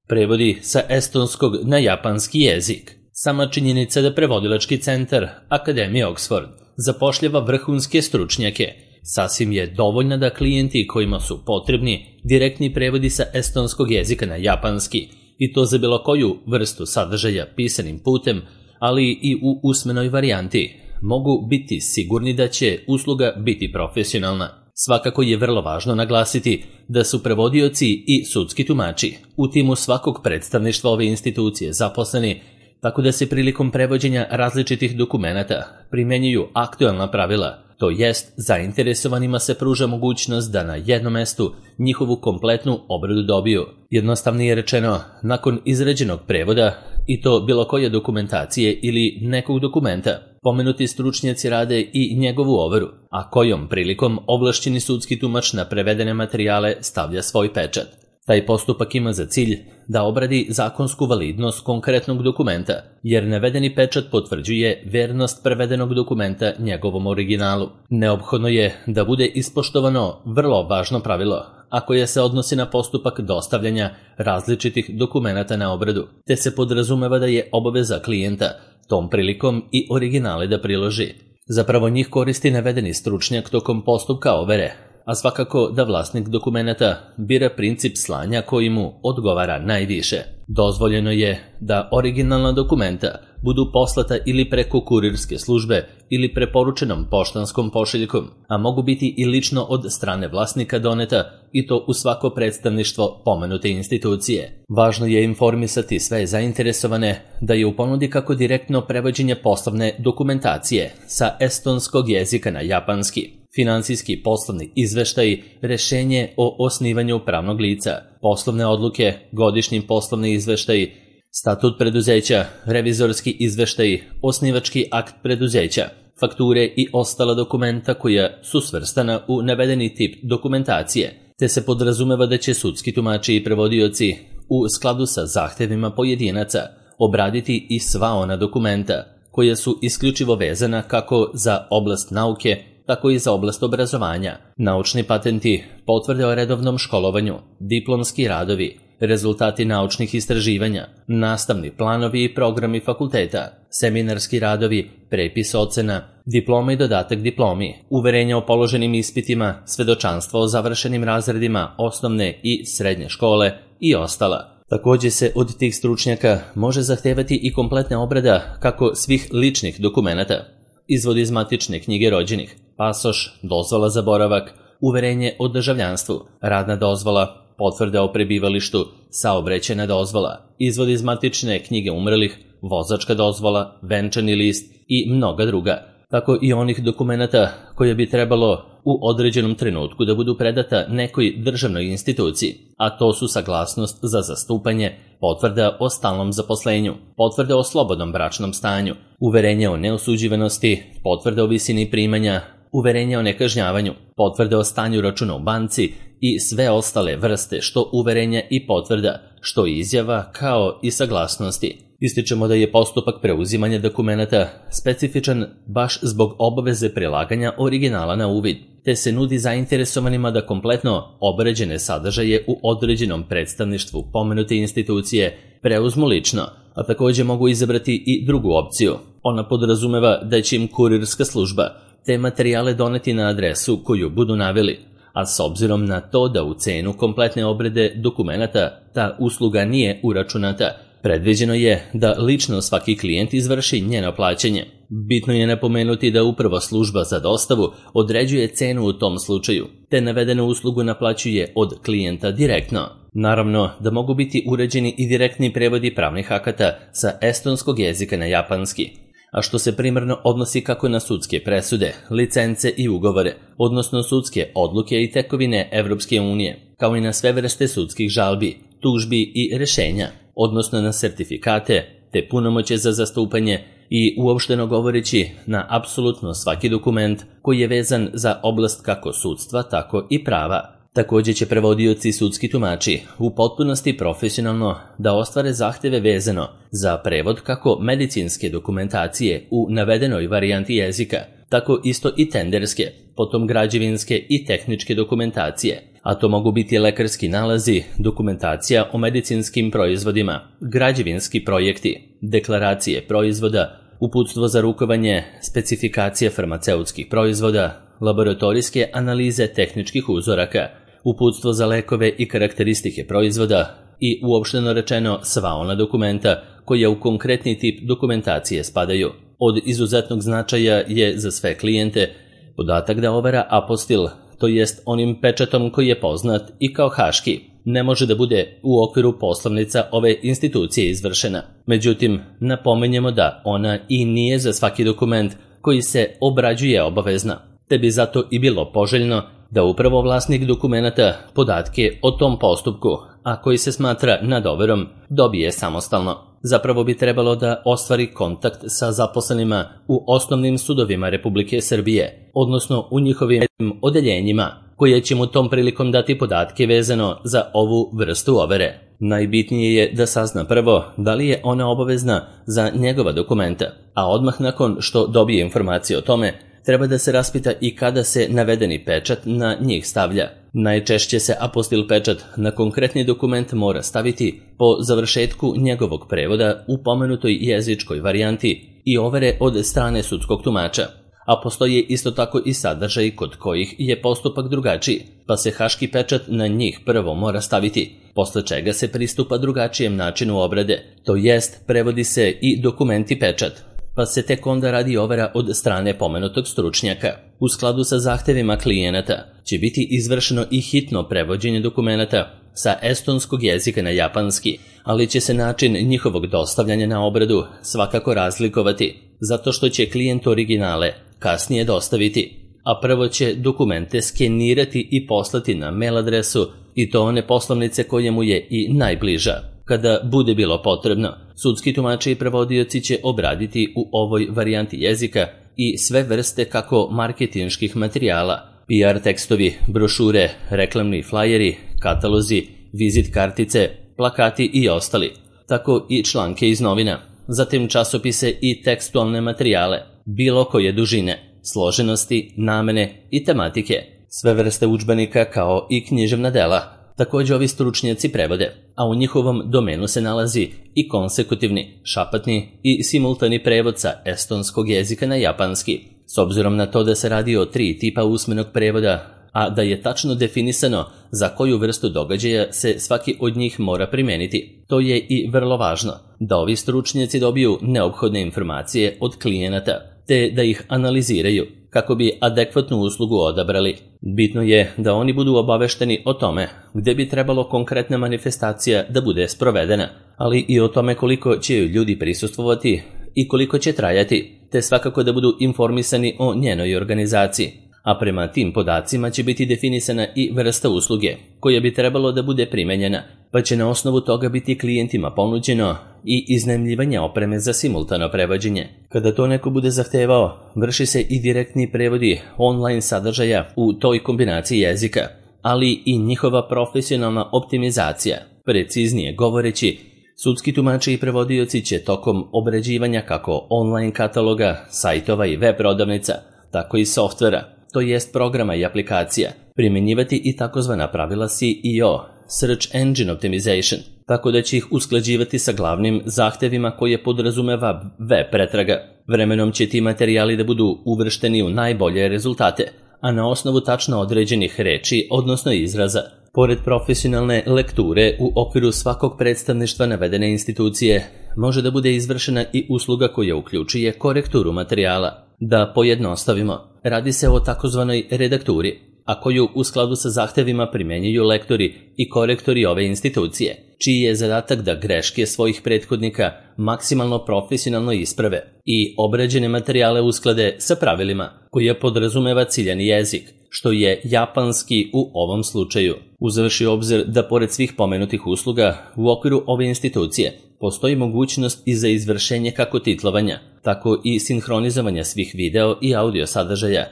Prevodi sa estonskog na japanski jezik. Sama činjenica da prevodilački centar Akademije Oxford zapošljava vrhunske stručnjake sasvim je dovoljna da klijenti kojima su potrebni direktni prevodi sa estonskog jezika na japanski, i to za bilo koju vrstu sadržaja pisanim putem, ali i u usmenoj varijanti, mogu biti sigurni da će usluga biti profesionalna. Svakako je vrlo važno naglasiti da su prevodioci i sudski tumači u timu svakog predstavništva ove institucije zaposleni, tako da se prilikom prevođenja različitih dokumenata primenjuju aktuelna pravila, to jest zainteresovanima se pruža mogućnost da na jednom mestu njihovu kompletnu obradu dobiju. Jednostavnije rečeno, nakon izrađenog prevoda, i to bilo koje dokumentacije ili nekog dokumenta, pomenuti stručnjaci rade i njegovu overu, a kojom prilikom ovlašćeni sudski tumač na prevedene materijale stavlja svoj pečat. Taj postupak ima za cilj da obradi zakonsku validnost konkretnog dokumenta, jer navedeni pečat potvrđuje vernost prevedenog dokumenta njegovom originalu. Neophodno je da bude ispoštovano vrlo važno pravilo, a koje se odnosi na postupak dostavljanja različitih dokumenata na obradu, te se podrazumeva da je obaveza klijenta tom prilikom i originale da priloži. Zapravo njih koristi navedeni stručnjak tokom postupka overe, a svakako da vlasnik dokumenata bira princip slanja koji mu odgovara najviše. Dozvoljeno je da originalna dokumenta budu poslata ili preko kurirske službe ili preporučenom poštanskom pošiljkom, a mogu biti i lično od strane vlasnika doneta, i to u svako predstavništvo pomenute institucije. Važno je informisati sve zainteresovane da je u ponudi kako direktno prevođenje poslovne dokumentacije sa estonskog jezika na japanski, finansijski poslovni izveštaji, rešenje o osnivanju pravnog lica, poslovne odluke, godišnji poslovni izveštaji, statut preduzeća, revizorski izveštaji, osnivački akt preduzeća, fakture i ostala dokumenta koja su svrstana u navedeni tip dokumentacije, te se podrazumeva da će sudski tumači i prevodioci u skladu sa zahtevima pojedinaca obraditi i sva ona dokumenta koja su isključivo vezana kako za oblast nauke, tako i za oblast obrazovanja, naučni patenti, potvrde o redovnom školovanju, diplomski radovi, rezultati naučnih istraživanja, nastavni planovi i programi fakulteta, seminarski radovi, prepis ocena, diploma i dodatak diplomi, uverenja o položenim ispitima, svedočanstvo o završenim razredima osnovne i srednje škole i ostala. Također se od tih stručnjaka može zahtevati i kompletna obrada kako svih ličnih dokumenata, izvod iz matične knjige rođenih, pasoš, dozvola za boravak, uverenje o državljanstvu, radna dozvola, potvrda o prebivalištu, saobraćajna dozvola, izvod iz matične knjige umrlih, vozačka dozvola, venčani list i mnoga druga, tako i onih dokumenata koje bi trebalo u određenom trenutku da budu predata nekoj državnoj instituciji, a to su saglasnost za zastupanje, potvrda o stalnom zaposlenju, potvrda o slobodnom bračnom stanju, uverenje o neosuđivanosti, potvrda o visini primanja, uverenje o nekažnjavanju, potvrde o stanju računa u banci i sve ostale vrste što uverenja i potvrda, što izjava kao i saglasnosti. Ističemo da je postupak preuzimanja dokumenata specifičan baš zbog obaveze prilaganja originala na uvid, te se nudi zainteresovanima da kompletno obrađene sadržaje u određenom predstavništvu pomenute institucije preuzmu lično, a također mogu izabrati i drugu opciju. Ona podrazumeva da će im kurirska služba te materijale doneti na adresu koju budu naveli, a s obzirom na to da u cenu kompletne obrade dokumenata ta usluga nije uračunata, predviđeno je da lično svaki klijent izvrši njeno plaćanje. Bitno je napomenuti da upravo služba za dostavu određuje cenu u tom slučaju, te navedenu uslugu naplaćuje od klijenta direktno. Naravno da mogu biti uređeni i direktni prevodi pravnih akata sa estonskog jezika na japanski, a što se primarno odnosi kako na sudske presude, licence i ugovore, odnosno sudske odluke i tekovine Evropske unije, kao i na sve vrste sudskih žalbi, tužbi i rešenja, odnosno na sertifikate, te punomoće za zastupanje i uopšteno govoreći na apsolutno svaki dokument koji je vezan za oblast kako sudstva, tako i prava. Također će prevodioci i sudski tumači u potpunosti profesionalno da ostvare zahteve vezano za prevod kako medicinske dokumentacije u navedenoj varijanti jezika, tako isto i tenderske, potom građevinske i tehničke dokumentacije, a to mogu biti lekarski nalazi, dokumentacija o medicinskim proizvodima, građevinski projekti, deklaracije proizvoda, uputstvo za rukovanje, specifikacije farmaceutskih proizvoda, laboratorijske analize tehničkih uzoraka, uputstvo za lekove i karakteristike proizvoda i uopšteno rečeno sva ona dokumenta koja u konkretni tip dokumentacije spadaju. Od izuzetnog značaja je za sve klijente podatak da overa apostil, to jest onim pečatom koji je poznat i kao haški, ne može da bude u okviru poslovnica ove institucije izvršena. Međutim, napomenjemo da ona i nije za svaki dokument koji se obrađuje obavezna, te bi zato i bilo poželjno da upravo vlasnik dokumenata podatke o tom postupku, a koji se smatra nad overom, dobije samostalno. Zapravo bi trebalo da ostvari kontakt sa zaposlenima u osnovnim sudovima Republike Srbije, odnosno u njihovim odeljenjima, koje će mu tom prilikom dati podatke vezano za ovu vrstu overe. Najbitnije je da sazna prvo da li je ona obavezna za njegova dokumenta, a odmah nakon što dobije informacije o tome, treba da se raspita i kada se navedeni pečat na njih stavlja. Najčešće se apostil pečat na konkretni dokument mora staviti po završetku njegovog prevoda u pomenutoj jezičkoj varijanti i overe od strane sudskog tumača, a postoje isto tako i sadržaj kod kojih je postupak drugačiji, pa se haški pečat na njih prvo mora staviti, posle čega se pristupa drugačijem načinu obrade, to jest prevodi se i dokumenti pečat, pa se tek onda radi overa od strane pomenutog stručnjaka. U skladu sa zahtevima klijenata će biti izvršeno i hitno prevođenje dokumenata sa estonskog jezika na japanski, ali će se način njihovog dostavljanja na obradu svakako razlikovati, zato što će klijent originale kasnije dostaviti, a prvo će dokumente skenirati i poslati na mail adresu i to one poslovnice koje mu je i najbliža. Kada bude bilo potrebno, sudski tumači i prevodioci će obraditi u ovoj varijanti jezika i sve vrste kako marketinških materijala, PR tekstovi, brošure, reklamni flajeri, katalozi, vizit kartice, plakati i ostali, tako i članke iz novina, zatim časopise i tekstualne materijale, bilo koje dužine, složenosti, namene i tematike, sve vrste udžbenika kao i književna dela. Također ovi stručnjaci prevode, a u njihovom domenu se nalazi i konsekutivni, šapatni i simultani prevod sa estonskog jezika na japanski, s obzirom na to da se radi o 3 tipa usmenog prevoda, a da je tačno definisano za koju vrstu događaja se svaki od njih mora primeniti. To je i vrlo važno, da ovi stručnjaci dobiju neophodne informacije od klijenata, te da ih analiziraju kako bi adekvatnu uslugu odabrali. Bitno je da oni budu obavešteni o tome gde bi trebalo konkretna manifestacija da bude sprovedena, ali i o tome koliko će ljudi prisustvovati i koliko će trajati, te svakako da budu informisani o njenoj organizaciji, a prema tim podacima će biti definisana i vrsta usluge koja bi trebalo da bude primenjena, pa će na osnovu toga biti klijentima ponuđeno i iznajmljivanje opreme za simultano prevođenje. Kada to neko bude zahtevao, vrši se i direktni prevodi online sadržaja u toj kombinaciji jezika, ali i njihova profesionalna optimizacija. Preciznije govoreći, sudski tumači i prevodioci će tokom obrađivanja kako online kataloga, sajtova i web prodavnica, tako i softvera, to jest programa i aplikacija, primjenjivati i takozvana pravila SEO, Search Engine Optimization, tako da će ih usklađivati sa glavnim zahtevima koje podrazumeva web pretraga. Vremenom će ti materijali da budu uvršteni u najbolje rezultate, a na osnovu tačno određenih reči, odnosno izraza. Pored profesionalne lekture u okviru svakog predstavništva navedene institucije, može da bude izvršena i usluga koja uključuje korekturu materijala. Da pojednostavimo, radi se o takozvanoj redakturi, a koju u skladu sa zahtevima primenjuju lektori i korektori ove institucije, čiji je zadatak da greške svojih prethodnika maksimalno profesionalno isprave i obrađene materijale usklade sa pravilima koje podrazumeva ciljani jezik, što je japanski u ovom slučaju. Uzevši obzir da pored svih pomenutih usluga u okviru ove institucije postoji mogućnost i za izvršenje kako titlovanja, tako i sinhronizovanja svih video i audio sadržaja.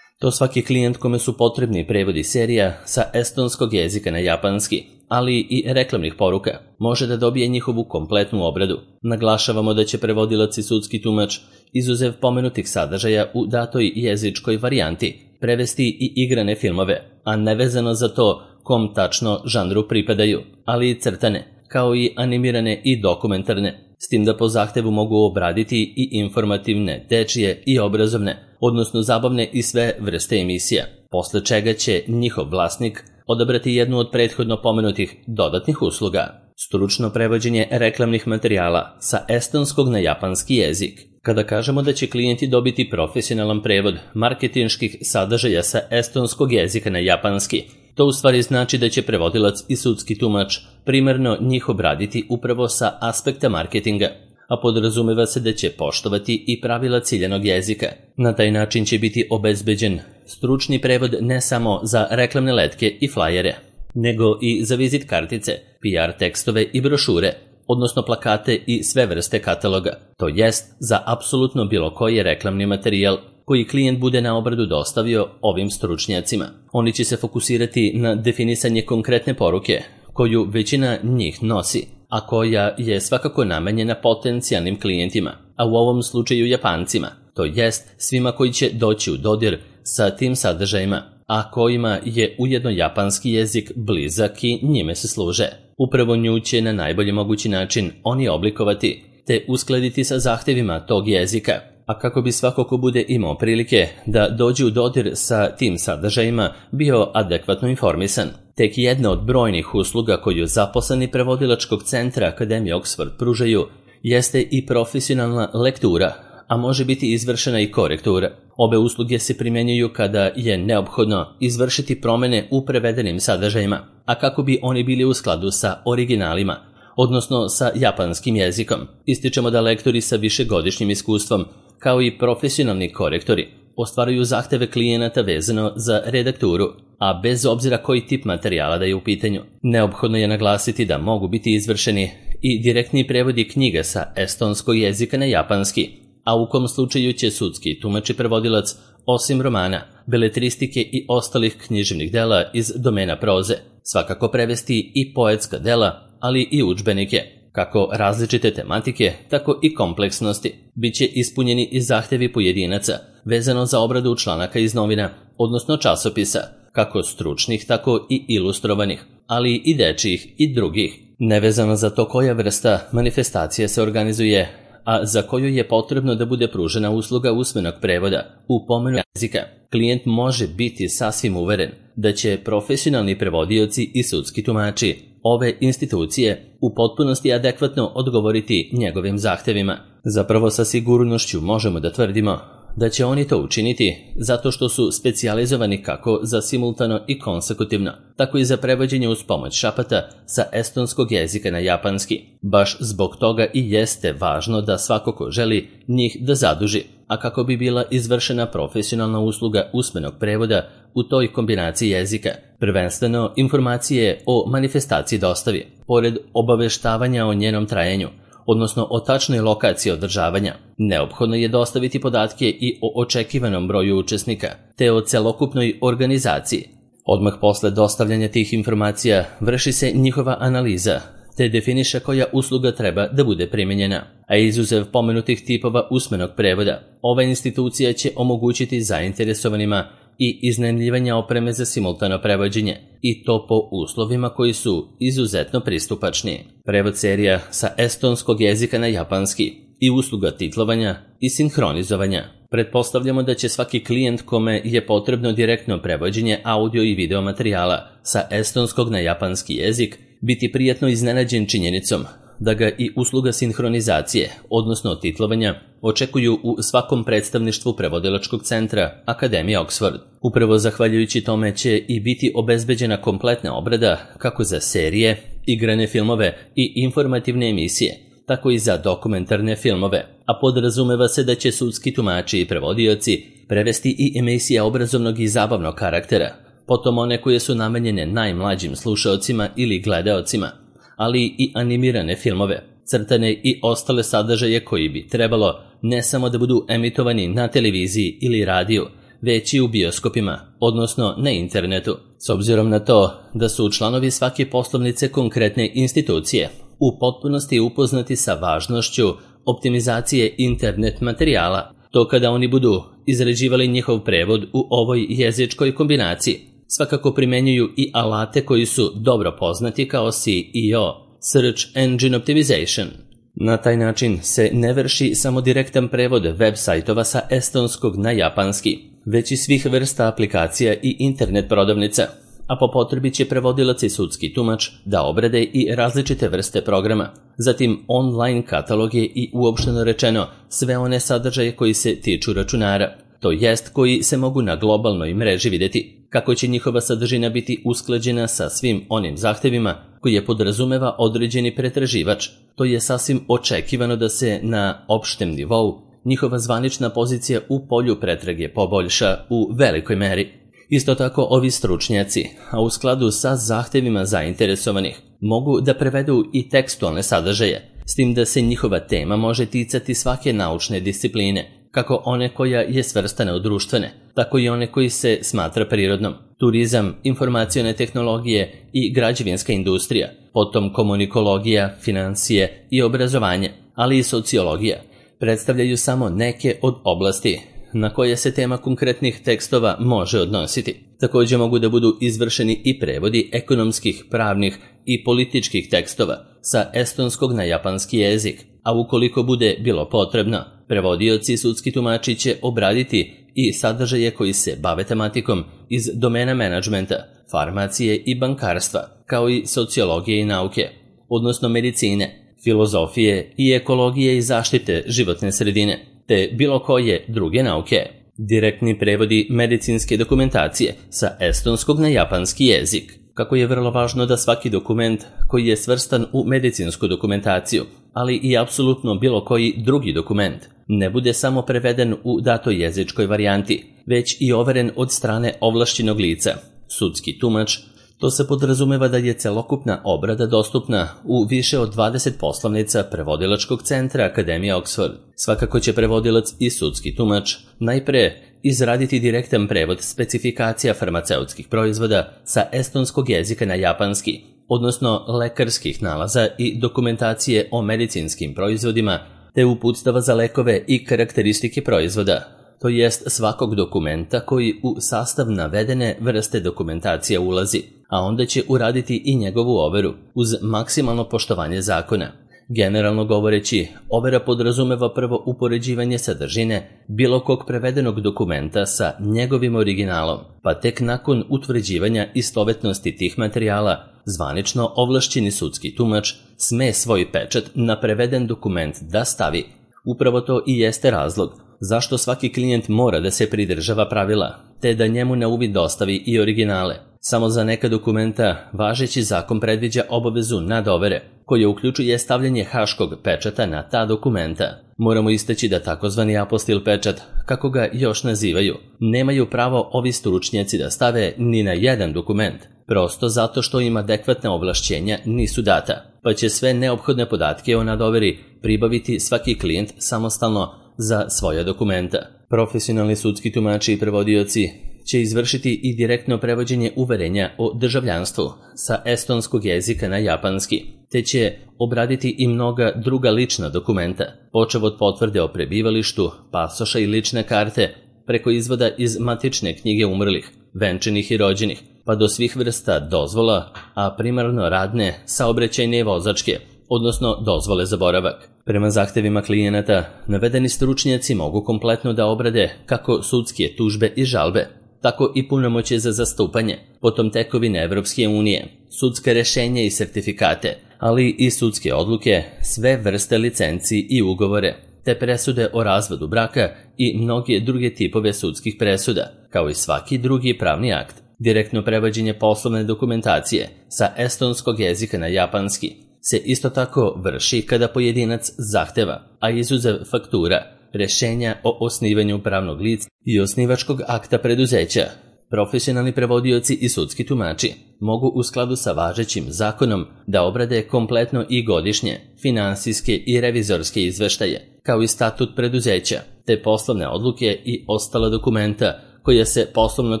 To svaki klijent kome su potrebni prevodi serija sa estonskog jezika na japanski, ali i reklamnih poruka, može da dobije njihovu kompletnu obradu. Naglašavamo da će prevodilac i sudski tumač, izuzev pomenutih sadržaja u datoj jezičkoj varijanti, prevesti i igrane filmove, a nevezano za to kom tačno žanru pripadaju, ali i crtane, kao i animirane i dokumentarne, s tim da po zahtevu mogu obraditi i informativne, dečije i obrazovne, odnosno zabavne i sve vrste emisija, posle čega će njihov vlasnik odabrati jednu od prethodno pomenutih dodatnih usluga. Stručno prevođenje reklamnih materijala sa estonskog na japanski jezik. Kada kažemo da će klijenti dobiti profesionalan prevod marketinških sadržaja sa estonskog jezika na japanski, to u stvari znači da će prevodilac i sudski tumač primarno njih obraditi upravo sa aspekta marketinga, a podrazumeva se da će poštovati i pravila ciljanog jezika. Na taj način će biti obezbeđen stručni prevod ne samo za reklamne letke i flajere, nego i za vizit kartice, PR tekstove i brošure, odnosno plakate i sve vrste kataloga, to jest za apsolutno bilo koji reklamni materijal koji klijent bude na obradu dostavio ovim stručnjacima. Oni će se fokusirati na definisanje konkretne poruke, koju većina njih nosi, a koja je svakako namenjena potencijalnim klijentima, a u ovom slučaju Japancima, to jest svima koji će doći u dodir sa tim sadržajima, a kojima je ujedno japanski jezik blizak i njime se služe. Upravo nju će na najbolji mogući način oni oblikovati, te uskladiti sa zahtevima tog jezika, a kako bi svako ko bude imao prilike da dođe u dodir sa tim sadržajima bio adekvatno informisan. Tek jedna od brojnih usluga koju zaposleni prevodilačkog centra Akademije Oxford pružaju jeste i profesionalna lektura, a može biti izvršena i korektura. Obe usluge se primjenjuju kada je neophodno izvršiti promene u prevedenim sadržajima, a kako bi oni bili u skladu sa originalima, odnosno sa japanskim jezikom. Ističemo da lektori sa višegodišnjim iskustvom, kao i profesionalni korektori, ostvaruju zahteve klijenata vezano za redakturu, a bez obzira koji tip materijala da je u pitanju. Neophodno je naglasiti da mogu biti izvršeni i direktni prevodi knjiga sa estonskog jezika na japanski, a u kom slučaju će sudski tumač i prevodilac, osim romana, beletristike i ostalih književnih dela iz domena proze, svakako prevesti i poetska dela, ali i udžbenike, kako različite tematike, tako i kompleksnosti. Biće ispunjeni i zahtevi pojedinaca, vezano za obradu članaka iz novina, odnosno časopisa, kako stručnih, tako i ilustrovanih, ali i dečijih i drugih, nevezano za to koja vrsta manifestacije se organizuje, a za koju je potrebno da bude pružena usluga usmenog prevoda u pomenu jezika. Klijent može biti sasvim uveren da će profesionalni prevodioci i sudski tumači ove institucije u potpunosti adekvatno odgovoriti njegovim zahtevima. Zapravo sa sigurnošću možemo da tvrdimo da će oni to učiniti zato što su specijalizovani kako za simultano i konsekutivno, tako i za prevođenje uz pomoć šapata sa estonskog jezika na japanski. Baš zbog toga i jeste važno da svako ko želi njih da zaduži, a kako bi bila izvršena profesionalna usluga usmenog prevoda u toj kombinaciji jezika. Prvenstveno informacije o manifestaciji dostavi, pored obaveštavanja o njenom trajanju, odnosno o tačnoj lokaciji održavanja, neophodno je dostaviti podatke i o očekivanom broju učesnika, te o celokupnoj organizaciji. Odmah posle dostavljanja tih informacija vrši se njihova analiza, te definiše koja usluga treba da bude primijenjena. A izuzev pomenutih tipova usmenog prevoda, ova institucija će omogućiti zainteresovanima i iznajmljivanja opreme za simultano prevođenje, i to po uslovima koji su izuzetno pristupačni. Prevod serija sa estonskog jezika na japanski i usluga titlovanja i sinhronizovanja. Pretpostavljamo da će svaki klijent kome je potrebno direktno prevođenje audio i video materijala sa estonskog na japanski jezik biti prijatno iznenađen činjenicom da ga i usluga sinhronizacije, odnosno titlovanja, očekuju u svakom predstavništvu prevodilačkog centra Akademije Oxford. Upravo zahvaljujući tome će i biti obezbeđena kompletna obrada kako za serije, igrane filmove i informativne emisije, tako i za dokumentarne filmove, a podrazumeva se da će sudski tumači i prevodioci prevesti i emisije obrazovnog i zabavnog karaktera, potom one koje su namenjene najmlađim slušaocima ili gledaocima, ali i animirane filmove, crtane i ostale sadržaje koji bi trebalo ne samo da budu emitovani na televiziji ili radiju, već i u bioskopima, odnosno na internetu. S obzirom na to da su članovi svake poslovnice konkretne institucije u potpunosti upoznati sa važnošću optimizacije internet materijala, to kada oni budu izrađivali njihov prevod u ovoj jezičkoj kombinaciji, Svakako primenjuju i alate koji su dobro poznati kao SEO, Search Engine Optimization. Na taj način se ne vrši samo direktan prevod web sajtova sa estonskog na japanski, već i svih vrsta aplikacija i internet prodavnica, a po potrebi će prevodilac i sudski tumač da obrade i različite vrste programa, zatim online kataloge i uopšteno rečeno sve one sadržaje koji se tiču računara, to jest koji se mogu na globalnoj mreži videti. Kako će njihova sadržina biti usklađena sa svim onim zahtevima koje podrazumeva određeni pretraživač, to je sasvim očekivano da se na opštem nivou njihova zvanična pozicija u polju pretrage poboljša u velikoj meri. Isto tako ovi stručnjaci, a u skladu sa zahtevima zainteresovanih, mogu da prevedu i tekstualne sadržaje, s tim da se njihova tema može ticati svake naučne discipline, kako one koja je svrstana u društvene, tako i one koji se smatra prirodnom, turizam, informacione tehnologije i građevinska industrija, potom komunikologija, financije i obrazovanje, ali i sociologija, predstavljaju samo neke od oblasti na koje se tema konkretnih tekstova može odnositi. Također mogu da budu izvršeni i prevodi ekonomskih, pravnih i političkih tekstova sa estonskog na japanski jezik, a ukoliko bude bilo potrebno, prevodioci i sudski tumači će obraditi i sadržaje koji se bave tematikom iz domena menadžmenta, farmacije i bankarstva, kao i sociologije i nauke, odnosno medicine, filozofije i ekologije i zaštite životne sredine, te bilo koje druge nauke. Direktni prevodi medicinske dokumentacije sa estonskog na japanski jezik. Kako je vrlo važno da svaki dokument koji je svrstan u medicinsku dokumentaciju, ali i apsolutno bilo koji drugi dokument, ne bude samo preveden u datoj jezičkoj varijanti, već i overen od strane ovlašćenog lica, sudski tumač. To se podrazumeva da je celokupna obrada dostupna u više od 20 poslovnica prevodilačkog centra Akademije Oxford. Svakako će prevodilac i sudski tumač najpre izraditi direktan prevod specifikacija farmaceutskih proizvoda sa estonskog jezika na japanski, odnosno lekarskih nalaza i dokumentacije o medicinskim proizvodima, te uputstava za lekove i karakteristike proizvoda, to jest svakog dokumenta koji u sastav navedene vrste dokumentacija ulazi, a onda će uraditi i njegovu overu uz maksimalno poštovanje zakona. Generalno govoreći, overa podrazumeva prvo upoređivanje sadržine bilo kog prevedenog dokumenta sa njegovim originalom, pa tek nakon utvrđivanja istovetnosti tih materijala, zvanično ovlašćeni sudski tumač sme svoj pečat na preveden dokument da stavi. Upravo to i jeste razlog zašto svaki klijent mora da se pridržava pravila, te da njemu na uvid dostavi i originale. Samo za neka dokumenta važeći zakon predviđa obavezu nadovere, koja uključuje stavljanje haškog pečata na ta dokumenta. Moramo istaći da takozvani apostil pečat, kako ga još nazivaju, nemaju pravo ovi stručnjaci da stave ni na jedan dokument, prosto zato što im adekvatna ovlašćenja nisu data, pa će sve neophodne podatke o nadoveri pribaviti svaki klijent samostalno za svoja dokumenta. Profesionalni sudski tumači i prevodioci će izvršiti i direktno prevođenje uverenja o državljanstvu sa estonskog jezika na japanski, te će obraditi i mnoga druga lična dokumenta, počev od potvrde o prebivalištu, pasoša i lične karte, preko izvoda iz matične knjige umrlih, venčanih i rođenih, pa do svih vrsta dozvola, a primarno radne, saobraćajne i vozačke, odnosno dozvole za boravak. Prema zahtevima klijenata, navedeni stručnjaci mogu kompletno da obrade kako sudske tužbe i žalbe, tako i punomoćje za zastupanje, potom tekovine Evropske unije, sudske rešenja i sertifikate, ali i sudske odluke, sve vrste licenci i ugovore, te presude o razvodu braka i mnoge druge tipove sudskih presuda, kao i svaki drugi pravni akt. Direktno prevođenje poslovne dokumentacije sa estonskog jezika na japanski se isto tako vrši kada pojedinac zahteva, a izuzev faktura, rešenja o osnivanju pravnog lica i osnivačkog akta preduzeća. Profesionalni prevodioci i sudski tumači mogu u skladu sa važećim zakonom da obrade kompletno i godišnje, finansijske i revizorske izveštaje, kao i statut preduzeća, te poslovne odluke i ostala dokumenta koja se poslovnog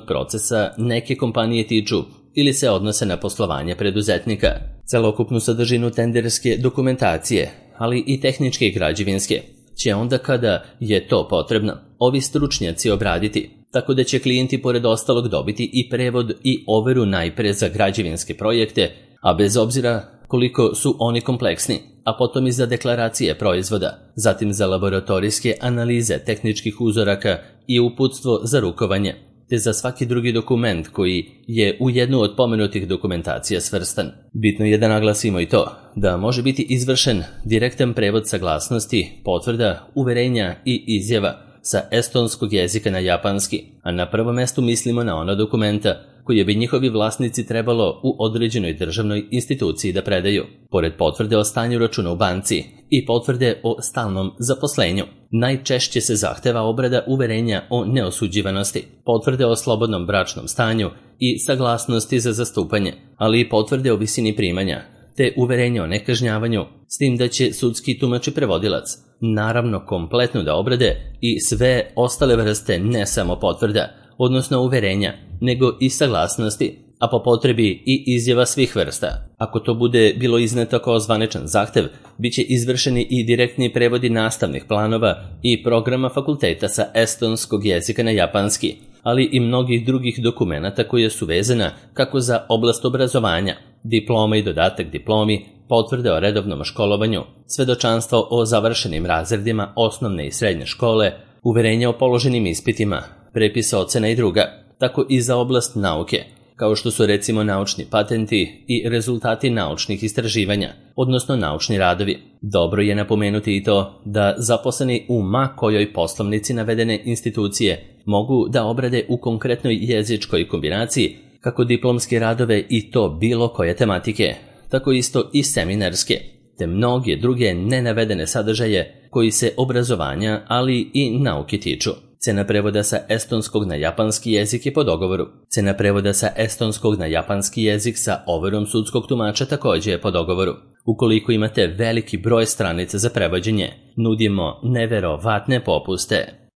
procesa neke kompanije tiču ili se odnose na poslovanje preduzetnika. Celokupnu sadržinu tenderske dokumentacije, ali i tehničke i građevinske, će onda kada je to potrebno ovi stručnjaci obraditi, tako da će klijenti pored ostalog dobiti i prevod i overu najpre za građevinske projekte, a bez obzira koliko su oni kompleksni, a potom i za deklaracije proizvoda, zatim za laboratorijske analize tehničkih uzoraka i uputstvo za rukovanje, te za svaki drugi dokument koji je u jednu od pomenutih dokumentacija svrstan. Bitno je da naglasimo i to da može biti izvršen direktan prevod saglasnosti, potvrda, uverenja i izjava sa estonskog jezika na japanski, a na prvom mestu mislimo na ona dokumenta koje bi njihovi vlasnici trebalo u određenoj državnoj instituciji da predaju, pored potvrde o stanju računa u banci i potvrde o stalnom zaposlenju. Najčešće se zahteva obrada uverenja o neosuđivanosti, potvrde o slobodnom bračnom stanju i saglasnosti za zastupanje, ali i potvrde o visini primanja, te uverenje o nekažnjavanju, s tim da će sudski tumač i prevodilac naravno kompletno da obrade i sve ostale vrste ne samo potvrda, odnosno uverenja, nego i saglasnosti, a po potrebi i izjava svih vrsta. Ako to bude bilo izneto kao zvaničan zahtev, bit će izvršeni i direktni prevodi nastavnih planova i programa fakulteta sa estonskog jezika na japanski, ali i mnogih drugih dokumenata koje su vezana kako za oblast obrazovanja, diploma i dodatak diplomi, potvrde o redovnom školovanju, svedočanstvo o završenim razredima osnovne i srednje škole, uverenja o položenim ispitima, prepisa ocena i druga, tako i za oblast nauke, kao što su recimo naučni patenti i rezultati naučnih istraživanja, odnosno naučni radovi. Dobro je napomenuti i to da zaposleni u ma kojoj poslovnici navedene institucije mogu da obrade u konkretnoj jezičkoj kombinaciji kako diplomske radove i to bilo koje tematike, tako isto i seminarske, te mnoge druge nenavedene sadržaje koji se obrazovanja, ali i nauke tiču. Cena prevoda sa estonskog na japanski jezik je po dogovoru. Cena prevoda sa estonskog na japanski jezik sa overom sudskog tumača također je po dogovoru. Ukoliko imate veliki broj stranica za prevođenje, nudimo neverovatne popuste.